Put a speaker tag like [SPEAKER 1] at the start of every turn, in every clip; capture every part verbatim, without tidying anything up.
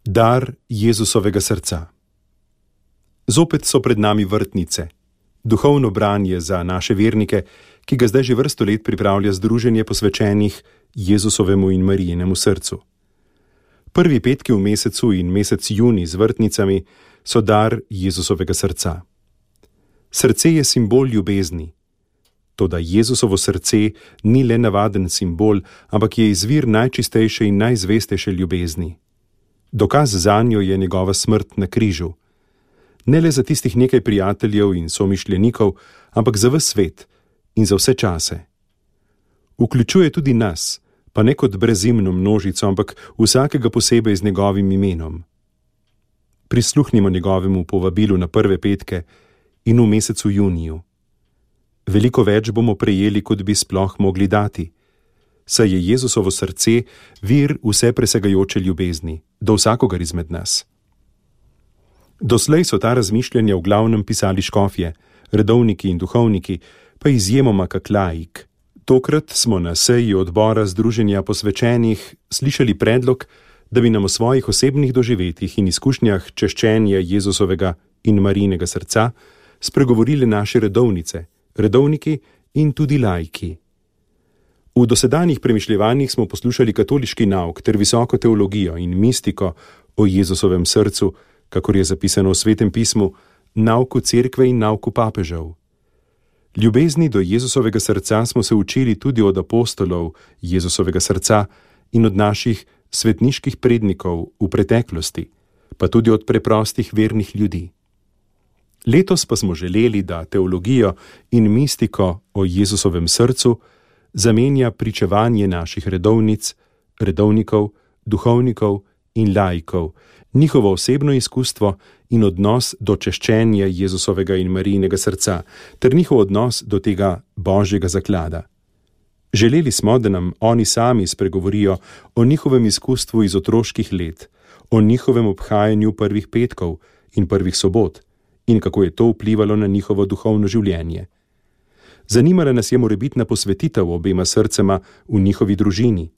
[SPEAKER 1] Dar Jezusovega srca. Zopet so pred nami vrtnice, duhovno branje za naše vernike, ki ga zdaj že vrsto let pripravlja združenje posvečenih Jezusovemu in Marijinemu srcu. Prvi petki v mesecu in mesec junij z vrtnicami so dar Jezusovega srca. Srce je simbol ljubezni. Toda Jezusovo srce ni le navaden simbol, ampak je izvir najčistejše in najzvestejše ljubezni. Dokaz zanjo je njegova smrt na križu. Ne le za tistih nekaj prijateljev in somišljenikov, ampak za ves svet in za vse čase. Vključuje tudi nas, pa ne kot brezimno množico, ampak vsakega posebej z njegovim imenom. Prisluhnimo njegovemu povabilu na prve petke in v mesecu juniju. Veliko več bomo prejeli, kot bi sploh mogli dati, saj je Jezusovo srce vir vse presegajoče ljubezni do vsakogar izmed nas. Doslej so ta razmišljanja v glavnem pisali škofje, redovniki in duhovniki, pa izjemoma kak laik. Tokrat smo na seji odbora združenja posvečenih slišali predlog, da bi nam o svojih osebnih doživetjih in izkušnjah češčenja Jezusovega in Marijinega srca spregovorile naše redovnice, redovniki in tudi laiki. V dosedanjih premišljevanjih smo poslušali katoliški nauk ter visoko teologijo in mistiko o Jezusovem srcu, kakor je zapisano v Svetem pismu, nauku cerkve in nauku papežev. Ljubezni do Jezusovega srca smo se učili tudi od apostolov Jezusovega srca in od naših svetniških prednikov v preteklosti, pa tudi od preprostih vernih ljudi. Letos pa smo želeli, da teologijo in mistiko o Jezusovem srcu zamenja pričevanje naših redovnic, redovnikov, duhovnikov in laikov, njihovo osebno izkustvo in odnos do češčenja Jezusovega in Marijinega srca, ter njihov odnos do tega božjega zaklada. Želeli smo, da nam oni sami spregovorijo o njihovem izkustvu iz otroških let, o njihovem obhajanju prvih petkov in prvih sobot in kako je to vplivalo na njihovo duhovno življenje. Zanimala nas je morebitna posvetitev obema srcema v njihovi družini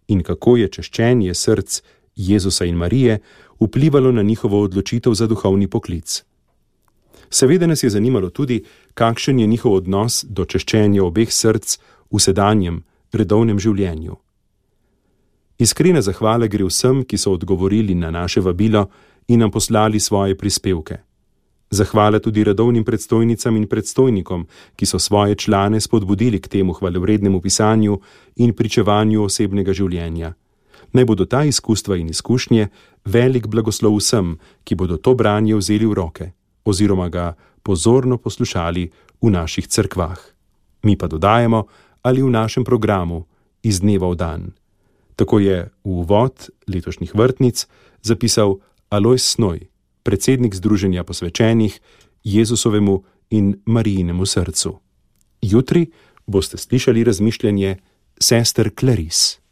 [SPEAKER 1] in kako je češčenje src Jezusa in Marije vplivalo na njihovo odločitev za duhovni poklic. Seveda nas je zanimalo tudi, kakšen je njihov odnos do češčenja obeh src v sedanjem, redovnem življenju. Iskrena zahvala gre vsem, ki so odgovorili na naše vabilo in nam poslali svoje prispevke. Zahvala tudi redovnim predstojnicam in predstojnikom, ki so svoje člane spodbudili k temu hvalevrednemu pisanju in pričevanju osebnega življenja. Naj bodo ta izkustva in izkušnje velik blagoslov vsem, ki bodo to branje vzeli v roke, oziroma ga pozorno poslušali v naših cerkvah. Mi pa dodajemo ali v našem programu iz dneva v dan. Tako je v uvod letošnjih vrtnic zapisal Alojz Snoj, predsednik združenja posvečenih Jezusovemu in Marijinemu srcu. Jutri boste slišali razmišljanje sester Clarice.